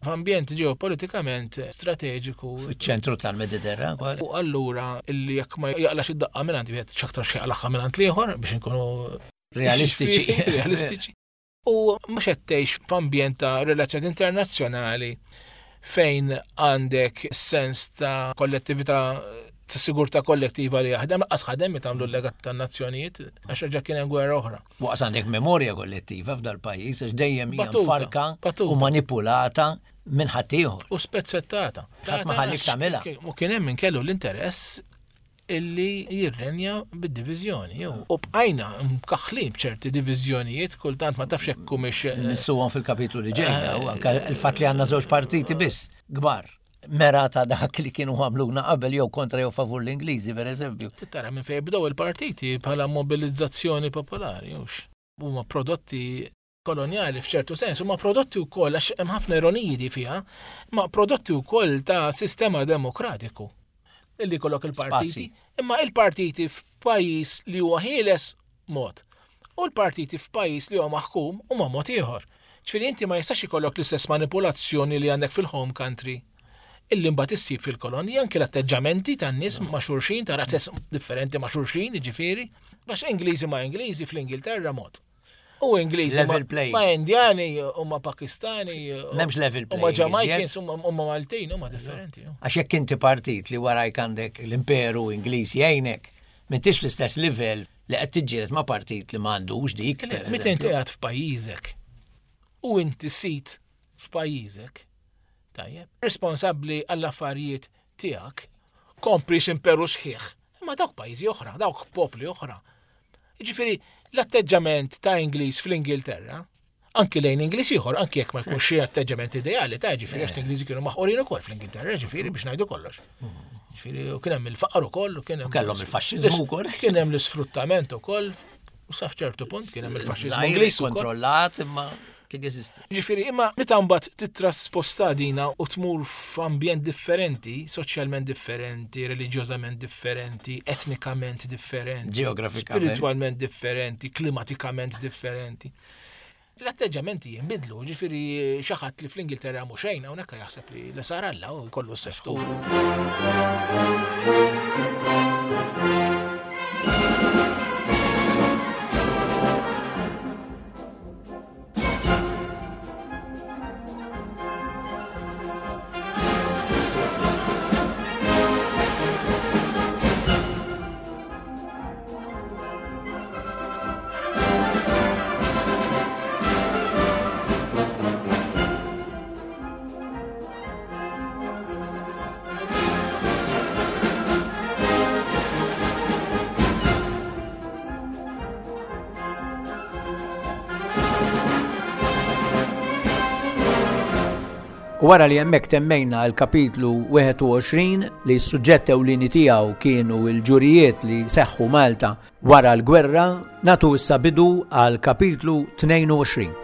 f'ambjent ġeopolitikament strateġiku. Fiċ-ċentru tal-Mediterran kważi. U allura illi jekk ma jaqlax id-daqqa minn għand wieħed x'aktar x'jaqlaħha minn għand l-ieħor biex inkunu Realistiċi. Realistiċi. U mhux qed tgħix f'ambjent ta' relazzjoni internazzjonali fejn għandek sens ta' kollettività ta' sigurtà kollettiva li jaħdem, lanqas ħadem meta għamlu l-legat tan-nazzjonijiet, għax reġa' kien hemm gwerra oħra. Waqs għandek memorja kollettiva f'dal pajjiż għax dejjem hija Batuta, mfarka batuta. u manipulata minn ħaddieħor. U spezzettata. Ħadd ma ħallik tagħmilha. U kien hemm min kellu l-interess illi jirrenja bid-diviżjoni. U bqajna mkaħħlin b'ċerti diviżjonijiet, kultant ma tafx hekk humiex. Eh, Nissuhom fil-kapitlu li ġejna, u anke il-fatt li għandna żewġ partiti biss kbar. Mera ta' dak li kienu għamluna qabel jew kontra jew favur l-Ingliżi, per eżempju. Tara minn fejn bdew il-partiti bħala mobilizzazzjoni popolari, hux. Huma prodotti koloniali f'ċertu sens, huma prodotti wkoll għax hemm ħafna ironiji di fiha, ma prodotti wkoll ta' sistema demokratiku. Illi kollok il-partiti, imma il-partiti f'pajjiż li huwa ħieles mod u l-partiti f'pajjiż li huwa maħkum huma mod ieħor. Ġifieri inti ma jistax ikollok l-istess manipolazzjoni li għandek fil-home country illi mbagħad issib fil-kolonji anke l-atteġġamenti tan-nies ma' xulxin, ta' razzes differenti ma' xulxin, jiġifieri, għax Ingliżi ma' Ingliżi fl-Ingilterra mod. U Ingliżi ma' Indjani u ma' Pakistani. M'hemmx level playing. U ma' Jamaicans u ma' Maltin u ma' differenti. Għax jekk inti partit li warajk għandek l-Imperu Ingliż jgħinek, m'intix fl-istess livell li qed tiġġieled ma' partit li m'għandux dik. Meta inti qiegħed f'pajjiżek u inti sit f'pajjiżek, tajjeb, responsabbli għall-affarijiet tiegħek, kompris imperu sħiħ, imma dawk pajjiżi oħra, dawk popli oħra. Jiġifieri l-atteġġament ta' Ingliż fl-Ingilterra, anki lejn Ingliż ieħor, anki jekk ma jkunx xi atteġġament ideali ta' ġifieri għax l-Ingliżi kienu maħqurin ukoll fl-Ingilterra, ġifieri biex ngħidu kollox. Ġifieri u kien hemm il-faqar ukoll u kien hemm kellhom il-faxxiżmu wkoll. Kien hemm l-isfruttament ukoll u sa f'ċertu punt kien hemm il-faxxiżmu Ingliż kontrollat imma kien jeżisti. Ġifieri, imma meta mbagħad titrasposta dina u tmur f'ambjent differenti, soċjalment differenti, reliġjożament differenti, etnikament differenti, ġeografikament, spiritwalment differenti, klimatikament differenti. L-atteġġamenti jinbidlu, ġifieri xi ħadd li fl-Ingilterra mhu xejn hawnhekk jaħseb li l sar Alla u jkollu s-seftu. U wara li hemmhekk temmejna l-kapitlu wieħed u għoxrin li s-suġġett ewlieni tiegħu kienu l-ġurijiet li seħħu Malta wara l-gwerra, natu issa bidu għal kapitlu tnejn u għoxrin.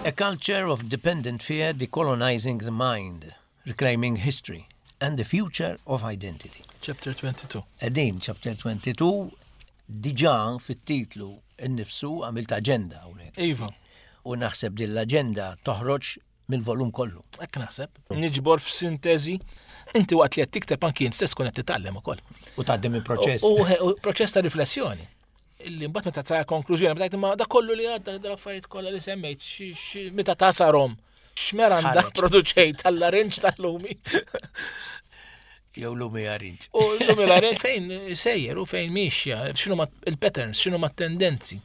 A culture of dependent fear decolonizing the mind, reclaiming history and the future of identity. Chapter twenty-two. Edin, chapter twenty-two, diġà fit-titlu innifsu għamilt aġenda hawnhekk. Iva. U naħseb din l-aġenda toħroġ mill-volum kollu. Hekk naħseb. Niġbor f'sintesi. Inti waqt li qed tikteb anki int stess tkun qed titgħallem ukoll. U tgħaddi minn proċess. U proċess ta' riflessjoni. Illi mbagħad meta tara konklużjoni, meta tgħid imma da kollu li għadda dal-affarijiet kollha li semmejt, meta tasarhom, x'meranda produċejt tal-larinġ tal-lumi. Jew lumi arinġ. U lumi l-arinġ fejn sejjer u fejn mixja, x'inhuma il-patterns, x'inhuma t-tendenzi.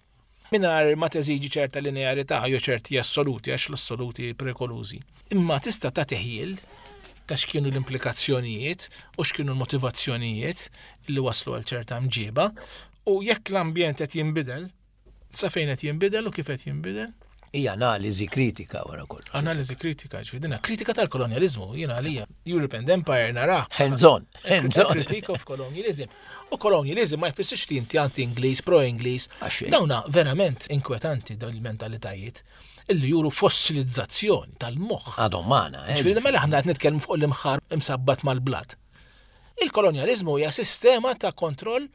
Mingħajr ma teżiġi ċerta linearità jew ċerti assoluti, għax l-assoluti prekolużi. Imma tista' tagħti ħjiel ta' x'kienu l-implikazzjonijiet u x'kienu l-motivazzjonijiet li waslu għal ċerta mġiba. U jekk l-ambjent qed jinbidel, sa fejn qed jinbidel u kif qed jinbidel? Hija analiżi kritika wara kollox. Analiżi kritika, ġifieri dinha kritika tal-kolonjaliżmu, jiena għalija Europe and Empire nara. Hands on, hands on. Critique of colonialism. U colonialism ma jfissirx li inti anti-Ingliż, pro-Ingliż. Dawna verament inkwetanti dawn il-mentalitajiet illi juru fossilizzazzjoni tal-moħħ. Għadhom magħna, eh? Ġifieri mela aħna qed nitkellmu fuq l-imħar imsabbat mal-blat. Il-kolonjaliżmu hija sistema ta' kontroll,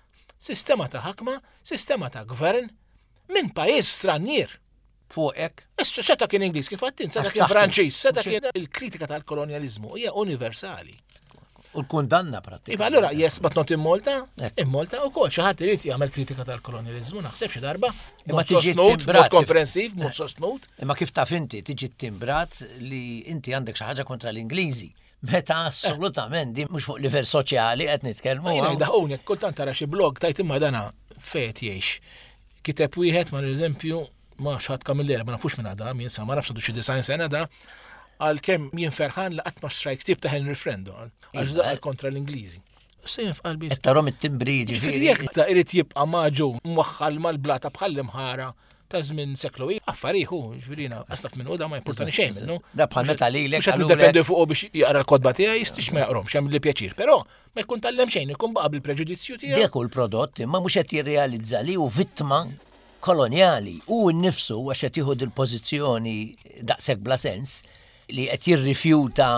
sistema ta' ħakma, sistema ta' gvern minn pajjiż stranier. Fuqek? Issa seta kien Ingliż kif għattin, seta kien Franċiż, seta kien il-kritika tal-kolonjaliżmu hija universali. U l-kundanna pratikament. Iva, allura yes, but not in Malta, in Malta wkoll xi ħadd irid jagħmel kritika tal-kolonjaliżmu, naħseb xi darba. Imma tiġi timbrat mod komprensiv, mod sostnut. Imma kif taf inti tiġi timbrat li inti għandek xi ħaġa kontra l-Ingliżi. Meta assolutament di mhux fuq livell soċjali qed nitkellmu. Jiena jdaħquni, kultant tara xi blog tajt imma dana fejn jgħix. Kiteb wieħed ma eżempju ma xatt Camilleri, ma nafux minn għada, min sa ma nafx għandu xi design sena da, għal kemm jien ferħan li qatt ma xtrajt ktieb ta' Henry Frendo, għax Iva. da kontra l-Ingliżi. Sejn f'qalbi. Qed tarhom it-timbri Ġifieri ġifieri. jekk ta' irid jibqa' maġu mwaħħal mal-blata bħal imħara ta' żmien seklu i, affariħu, ġifieri aslaf minnu da ma jimpurtani xejn minnu. Da bħal meta lilek Mhux qed qalulek- niddependi fuqu biex jaqra l-kotba tiegħi, jistix ma jaqromx, hemm li pjaċir, però ma jkun tallem xejn, ikun baqa' bil-preġudizzju tiegħu. Dak hu l-prodott imma mhux qed jirrealizza li hu vittma kolonjali u nnifsu għax qed jieħu dil-pożizzjoni daqshekk bla sens li qed jirrifjuta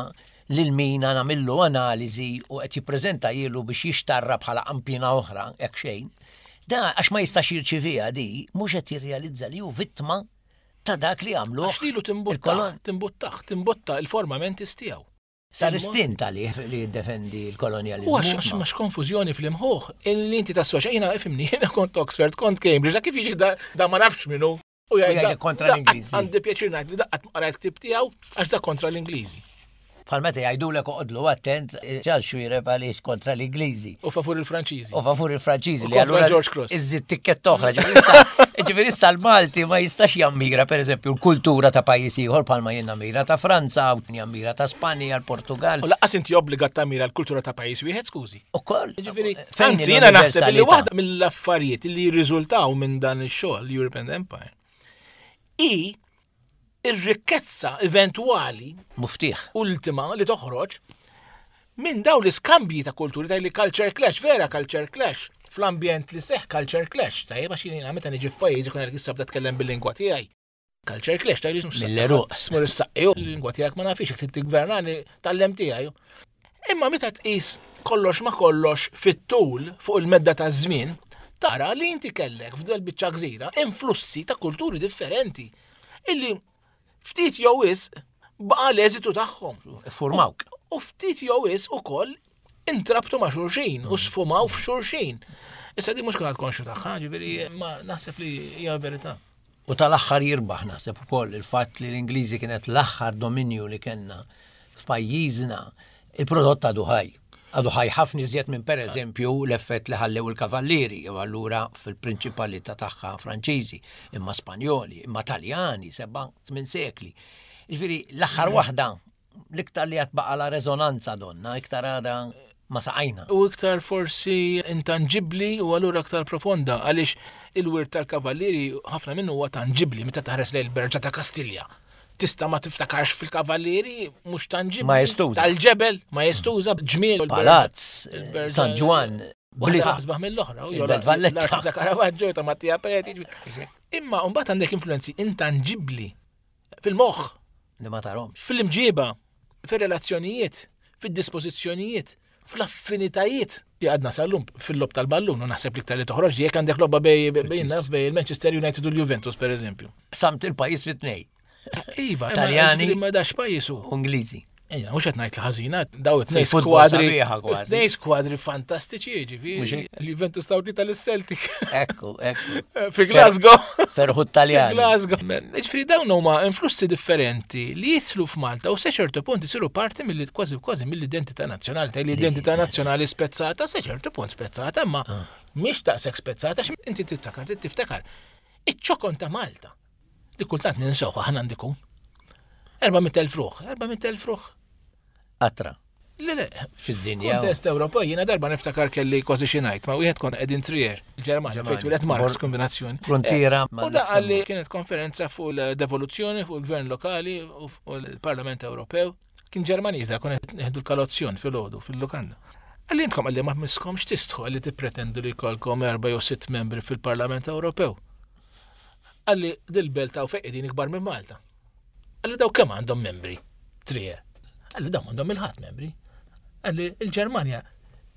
lil min nagħmillu analiżi u qed jippreżenta jilu biex jixtarra bħala qampina oħra hekk xejn. Da għax ma jistax jirċiviha di, mhux qed jirrealizza li hu vittma ta' dak li għamlu. Għax lilu timbuttaħ, timbuttaħ, timbotta il-forma mentis tiegħu. Sar istint għalih li jiddefendi l-kolonjalizmu. U għax għax max konfużjoni fl-imħuħ, illi inti tassoċja, jiena ifhimni, jiena kont Oxford, kont Cambridge, da kif jiġi da, da ma nafx minnu. U jgħidlek kontra da l-Ingliżi. Għandi pjaċir ngħid li daqqat qrajt ktib tiegħu għax da kontra l-Ingliżi. Bħal meta jgħidulek oqgħodlu attent ċal xwireb għaliex kontra l-Ingliżi. U favur il-Franċiżi. U favur il-Franċiżi U li kontra allura George Cross. iżżid tikkett oħra. Ġifieri issa- Ġifieri issa l-Malti ma jistax jammira pereżempju l-kultura ta' pajjiż ieħor bħalma jien nammira ta' Franza, u jammira ta' Spanja, l-Portugal. U laqqas inti obbligat tamira l-kultura ta' pajjiż wieħed, skużi. Ukoll. Ġifieri, Fejn anzi, jiena naħseb li l-universalità? waħda mill-affarijiet li jirriżultaw minn dan ix-xogħol European Empire i ir-rikkezza eventwali Muftiħ. ultima li toħroġ minn daw l-iskambji ta' kulturi ta' li culture clash, vera culture clash, fl-ambjent li seħ culture clash, tajjeb għax jiena meta niġi f'pajjiż ikun għalek issa bda tkellem bil-lingwa tiegħi. Culture clash, tajjeb mhux Mill-eruq. Smur is-saqqi, l-lingwa tiegħek ma nafix, jekk trid tiggvernani tal-lem tiegħi. Imma meta tqis kollox ma kollox fit-tul fuq il-medda ta' żmien, tara li inti kellek f'del biċċa gżira influssi ta' kulturi differenti illi ftit jew wisq baqa' l-eżitu tagħhom. Formawk. U ftit jew wisq ukoll intrabtu ma' xulxin u sfumaw f'xulxin. Issa di mhux kulħadd konxju tagħha, ġifieri ma naħseb li hija verità. U tal-aħħar jirbaħ naħseb ukoll il-fatt li l-Ingliżi kienet l-aħħar dominju li kellna f'pajjiżna, il-prodott għadu ħaj. Għadu ħaj ħafna iżjed minn pereżempju l-effett li ħallew il-kavallieri, jew allura fil-prinċipalità tagħha Franċiżi, imma Spanjoli, imma Taljani, seba' tmien sekli. Ġifieri l-aħħar waħda l-iktar li għad baqa la rezonanza donna, iktar għada ma saqajna. U iktar forsi intangibbli u allura iktar profonda għaliex il-wirt tal-kavallieri ħafna minnu huwa tangibbli meta taħres lejn il-Berġa ta' Kastilja. Tista' ma tiftakarx fil-kavallieri mhux tangibbli. Ma jestuża. Tal-ġebel ma jestuża ġmiel. Palazz, il-Berġa- San Ġwann, Waħda Blita. asbaħ mill-oħra. u Il-Belt Valletta. L-arti ta' Caravaggio, ta' Mattia Preti. Imma mbagħad għandek influenzi intangibbli fil-moħħ, Li ma tarhomx. fil-imġiba, fil-relazzjonijiet, fil-dispożizzjonijiet, fl-affinitajiet. Li għadna sal-lum fil-lob tal-ballun, u naħseb li iktar li toħroġ jekk għandek lobba bej bej naf bej il-Manchester United u l-Juventus per eżempju. Samt il-pajjiż fit-tnej, Iva, Taljani. Ma dax pajjiż hu. Ingliżi. Ejja, mhux qed ngħid li ħażina, daw it-tnejn Fil-futbol skwadri. sabiħa kważi. Tnejn skwadri fantastiċi, jiġifieri. Mhux hekk? L-Juventus taw tlieta lis-Celtic. Ekku, ekku. Fi Glasgow. Ferħu Taljani. Glasgow. Ġifieri dawn huma influssi differenti li jidħlu f'Malta u se ċertu punt isiru parti mill kważi kważi mill-identità nazzjonali. Ta' l-identità nazzjonali spezzata se ċertu punt spezzata, ma mhix taqsek spezzata għax inti tiftakar, tiftakar. Iċ-ċokon ta' Malta. Li kultant ninsew aħna għandikun. erba' mitt elf ruħ, erba' mitt elf ruħ. Qatra. Le, le, Fid-dinja. Kontest Ewropew, jiena darba niftakar kelli kważi xi ngħid, ma wieħed kon qegħdin Trier, il-Ġermanja, fejn twieled Marx Bor- kombinazzjoni. Frontiera Eh, U da qalli kienet konferenza fuq l-devoluzzjoni, fuq il-gvern lokali u fuq il-Parlament Ewropew. Kien Ġermaniż da kon qed nieħdu l-kalozzjon fil-ħodu, fil-lukanda. Qalli intkom qalli ma miskomx tistħu qalli tippretendu li jkollkom erba' jew sitt membri fil-Parlament Ewropew. Qalli dil-belt ta' fejn qegħdin ikbar minn Malta. Qalli daw kemm għandhom membri? Trier. Qalli daw għandhom il-ħadd membri. Qalli il-Ġermanja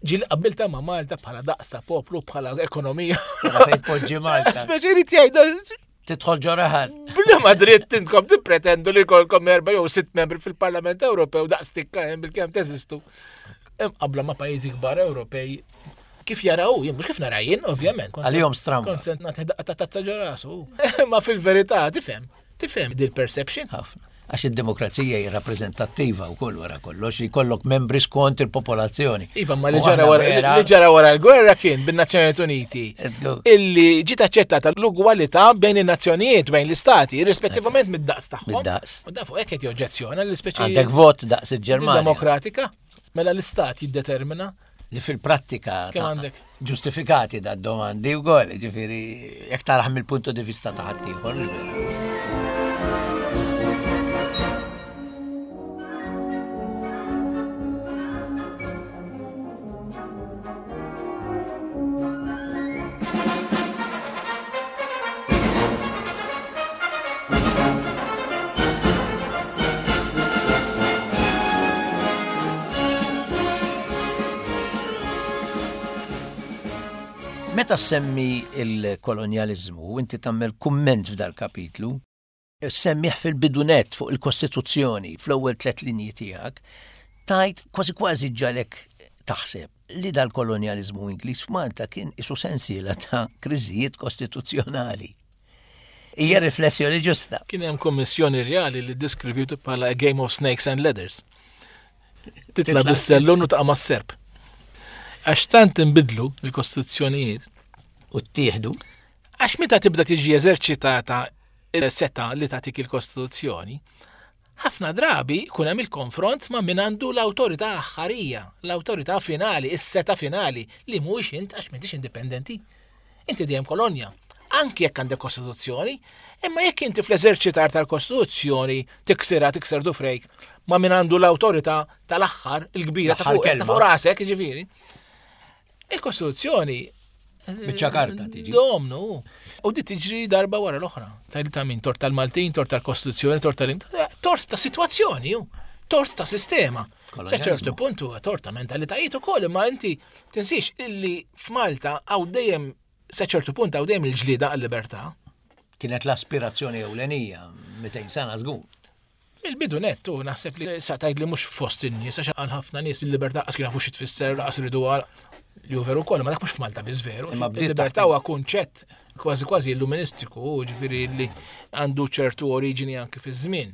ġieli qabbilta ma' Malta bħala daqs ta' poplu, bħala ekonomija. Fejn poġġi Malta. Speċi jrid jgħid Tidħol ġoraħal. Bla ma dritt intkom tippretendu li jkollkom erba' jew sitt membri fil-Parlament Ewropew daqs tikka hemm bil-kemm teżistu. Hemm qabla ma' pajjiżi kbar Ewropej kif jaraw, jien mhux kif nara jien, ovvjament. Kont- Għalihom stramba. Kont se nagħti daqqa ta' tazza ġo rasu. Ma fil-verità tifhem, tifhem dil perception. Ħafna. Għax id-demokrazija hija rappreżentattiva wkoll wara kollox, li jkollok membri skont il-popolazzjoni. Iva, ma li ġara wara li ġara wara l-gwerra kien bin-Nazzjonijiet Uniti. Illi ġiet aċċettata l-ugwalità bejn in-nazzjonijiet, bejn l-istati, irrispettivament mid-daqs tagħhom. Mid-daqs. U da fuq hekk qed joġġezzjona li speċi Għandek vot daqs il-Ġermanja. Demokratika, mela l-istat jiddetermina li fil-prattika ġustifikati da domandi u għol, ġifiri, jek taraħ mill-punto di vista ta' ħaddieħor. Meta semmi il-kolonjalizmu, inti tagħmel kumment f'dal kapitlu, semmih fil-bidunet fuq il-Kostituzzjoni, fl-ewwel tliet linji tiegħek, tajt kważi kważi ġalek taħseb li dal-kolonjalizmu Ingliż f'Malta kien isu sensiela ta' kriżijiet kostituzzjonali. Hija riflessjoni ġusta. Kien hemm kummissjoni reali li ddiskrivitu bħala a game of snakes and ladders. Titla' bis-sellun u taqa' mas-serp. Għax tant inbidlu l-kostituzzjonijiet. U ttieħdu. Għax meta tibda tiġi eżerċitata il-seta li tagħtik il-Kostituzzjoni, ħafna drabi jkun hemm il-konfront ma' min għandu l-awtorità aħħarija, l-awtorità finali, is-seta finali, li mhuwiex int għax m'intix indipendenti. Inti dejjem kolonja. Anki jekk għandek Kostituzzjoni, imma jekk inti fl-eżerċitar tal-Kostituzzjoni tiksirha, tikser dufrejk ma' min għandu l-awtorità tal-aħħar il-kbira ta' fuq, ta' fuq rasek, jiġifieri. Il-Kostituzzjoni biċċa karta tiġi. Domnu. U di tiġri darba wara l-oħra. Tajli ta' min? Tort tal-Maltin, tort tal-Kostituzzjoni, tort tal tort ta' sitwazzjoni, tort ta' sistema. Sa ċertu punt huwa tort ta' mentalitajiet ukoll, imma inti tinsiex illi f'Malta hawn dejjem sa ċertu punt hawn dejjem il-ġlieda għal-libertà. Kienet l-aspirazzjoni ewlenija mitejn sena żgur. Il-bidu nettu naħseb li sa tgħid li mhux fost in-nies għax għal ħafna nies il-libertà qas kien jafu xi tfisser, qas iridu għal li hu veru wkoll, ma dak mhux f'Malta biss veru. Il-libertà huwa kunċett kważi kważi illuministiku, ġifieri li għandu ċertu oriġini anki fiż-żmien.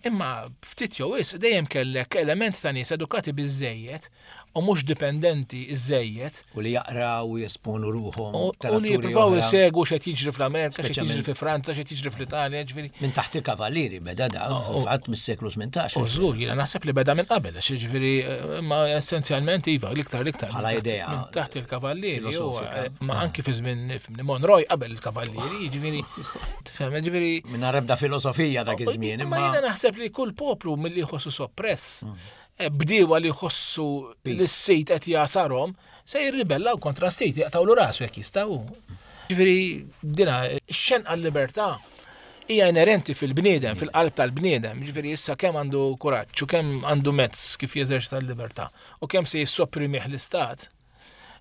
Imma ftit jew wisq dejjem kellek element ta' nies edukati biżżejjed u mhux dipendenti iżżejjed. U li jaqraw u jesponu ruħhom. U li jippruvaw isegwu x'qed jiġri fl-Amerika, x'qed jiġri fi Franza, x'qed jiġri fl-Italja, ġifieri. Minn taħt il-kavallieri beda da, fil-fatt mis-seklu tmintax. U żgur, jiena naħseb li beda minn qabel, għax jiġifieri imma essenzjalment iva, l-iktar l-iktar. Bħala idea. Minn taħt il-kavallieri, ma anki fi żmien Monroy qabel il-kavallieri, jiġifieri. Tifhem, jiġifieri. Minn ebda filosofija dak iż-żmien, imma jiena naħseb li kull poplu milli jħossu soppress bdiewa li jħossu li s-sit qed jasarhom se jirribellaw kontra s-sit, jaqtawlu rasu jekk jistgħu. Ġifieri dina x-xenqa l-libertà hija inerenti fil-bniedem, fil-qalb tal-bniedem, ġifieri issa kemm għandu kuraġġ u kemm għandu mezz kif jeżerċita l-libertà u kemm se jissoprimih l-istat.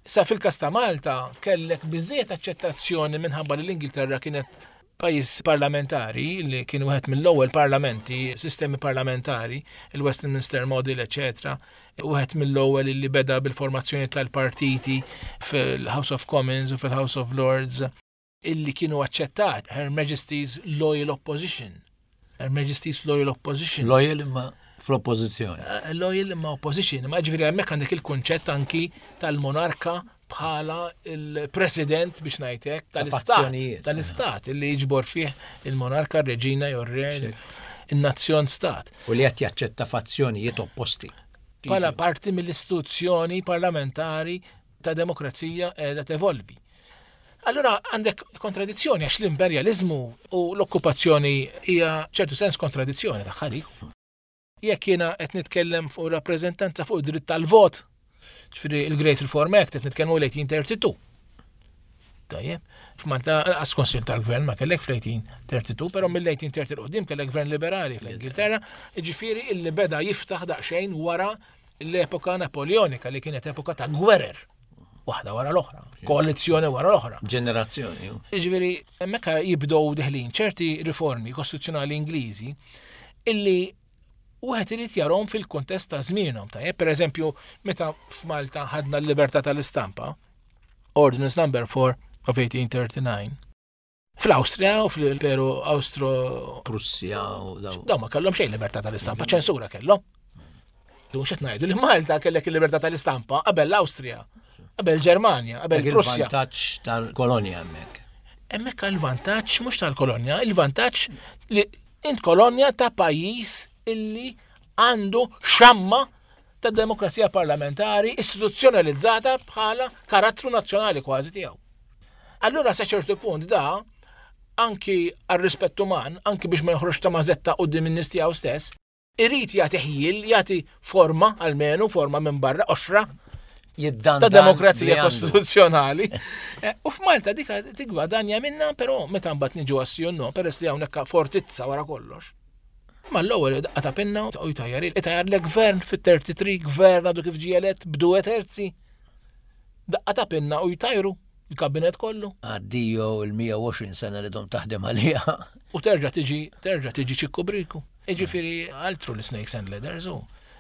Issa fil-każ ta' Malta kellek biżżejjed aċċettazzjoni minħabba li l-Ingilterra kienet pajjiż parlamentari li kien wieħed mill-ewwel parlamenti, sistemi parlamentari, il-Westminster Model, eċetera, wieħed mill-ewwel li beda bil-formazzjoni tal-partiti fil-House of Commons u fil-House of Lords illi kienu aċċettat Her Majesty's Loyal Opposition. Her Majesty's Loyal Opposition. Loyal imma fl-oppożizzjoni. Loyal imma opposition, imma ġifieri hemmhekk għandek il-kunċett anki tal-monarka bħala il-president biex ngħidlek tal-istat, tal-istat li jiġbor fih il-monarka, r-reġina jew r-re, in-nazzjon stat. U li qed jaċċetta fazzjonijiet opposti. Bħala parti mill-istituzzjoni parlamentari ta' demokrazija qiegħda tevolvi. Allura għandek kontradizzjoni għax l-imperjaliżmu u l-okkupazzjoni hija ċertu sens kontradizzjoni tagħha dik. Jekk jiena qed nitkellem fuq rappreżentanza fuq id-dritt tal-vot, ġifieri il-Great Reform Act qed nitkellmu l-eighteen thirty-two. Tajjeb, f'Malta qas konsil tal-gvern ma kellek fl-eighteen thirty-two, però mill-eighteen thirty l-qudiem kellek gvern liberali fl-Ingilterra, ġifieri illi beda jiftaħ daqsxejn wara l-epoka Napoleonika li kienet epoka ta' gwerer. Waħda wara l-oħra, koalizzjoni wara l-oħra. Ġenerazzjoni. Ġifieri hemmhekk jibdew deħlin ċerti riformi kostituzzjonali Ingliżi illi wieħed irid jarhom fil-kuntest ta' żmienhom. Tajjeb, pereżempju, meta f'Malta ħadna l-libertà tal-istampa, Ordinance Number four of eighteen thirty-nine, Fl-Awstrija u fl-Imperu Awstro Prussja u daw. Daw ma kellhom xejn libertà tal-istampa, ċensura kellhom. Mhux qed ngħidu li Malta kellek il-libertà tal-istampa qabel l-Awstrija, qabel Ġermanja, qabel Prussja. Il-vantaġġ tal-kolonja hemmhekk. Hemmhekk il-vantaġġ mhux tal-kolonja, il-vantaġġ li int kolonja ta' pajjiż illi għandu xamma ta' demokrazija parlamentari istituzzjonalizzata bħala karattru nazzjonali kważi tiegħu. Allura sa ċertu punt da anki għar-rispett uman, anki biex ma joħroġ ta' mażetta quddiem in-nies tiegħu stess, irid jagħti ħjiel, jagħti forma almenu, forma minn barra qoxra Jiddandan ta' demokrazija li għandu. kostituzzjonali. Eh, U f'Malta dik tigwadanja minna, però meta mbagħad niġu għas no, peress li hawnhekk fortizza wara kollox. Ma l-ewwel daqqa ta' pinna u jtajjar itajjar le gvern fit-tlieta u tletin, gvern għadu kif ġie elett b'due terzi. Daqqa ta' pinna u jtajru il-kabinet kollu. Addio il-mija u għoxrin sena li dom taħdem għalija. U terġa' tiġi, terġa' tiġi ċikku briku. Jiġifieri altru li snakes and ladders u.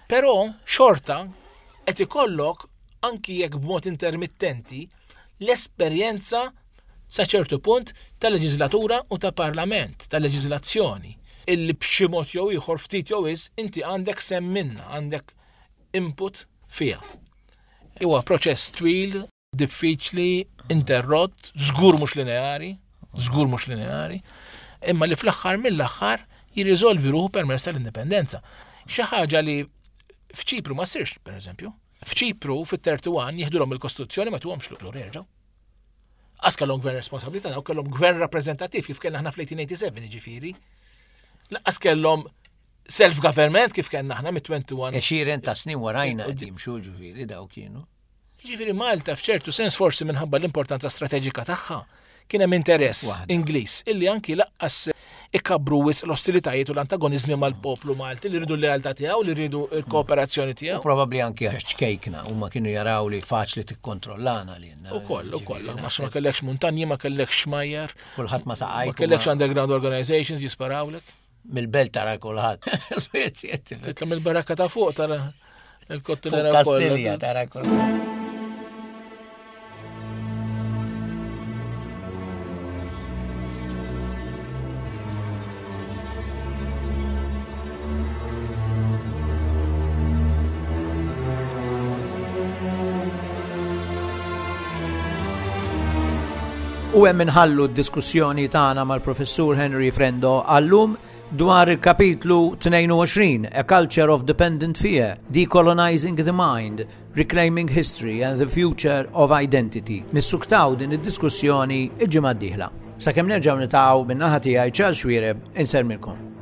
Però xorta qed ikollok anki jekk b'mod intermittenti l-esperjenza sa ċertu punt ta' leġislatura u ta' parlament, ta' leġislazzjoni, illi b'xi mod jew ieħor ftit jew is inti għandek sem minna, għandek input fiha. Huwa proċess twil, diffiċli, interrott, żgur mhux lineari, żgur mhux lineari, imma li fl-aħħar mill-aħħar jirriżolvi ruħu permezz tal-indipendenza. Xi ħaġa li f'Ċipru ma ssirx, per eżempju. F'Ċipru fit-tlieta u tletin jieħdulhom il-Kostituzzjoni ma tuhomx lura jerġgħu. Għax kellhom gvern responsabilità, daw kellhom gvern rappreżentattiv kif kellna aħna fl-għaxar elef u disa' mija u sebgħa u tmenin, jiġifieri. Lanqas kellhom self-government kif kellna aħna mit-wieħed u għoxrin. Għexieren ta' snin warajna qed jimxu, ġifieri daw kienu. Jiġifieri Malta f'ċertu sens forsi minħabba l-importanza strateġika tagħha kien hemm interess Waħda. Ingliż illi anki lanqas ikabru wisq l-ostilitajiet u l-antagonizmi mal-poplu Malti li rridu l-lealtà tiegħu, li rridu l-kooperazzjoni tiegħu. U probabbli anki għax ċkejkna u ma kienu jaraw li faċli tikkontrollana li jenna. U koll, u koll, ma ma kellekx muntanji, ma kellekx xmajjar, Kulħadd ma saqajk. ma kellekx underground organizations jisparawlek. Mill-belt tara kulħadd. Titla' mill-barakka ta' fuq tara il-kottonera Fuq Kastilja tara kulħadd. U hemm inħallu d-diskussjoni tagħna mal-Professur Henry Frendo għallum dwar il-kapitlu tnejn u għoxrin, A Culture of Dependent Fear, Decolonizing the Mind, Reclaiming History and the Future of Identity. Nissuktaw din id-diskussjoni il-ġimgħa d-dieħla. Sakemm nerġgħu niltaqgħu, min-naħa tiegħi Charles Xuereb, insellmilkom.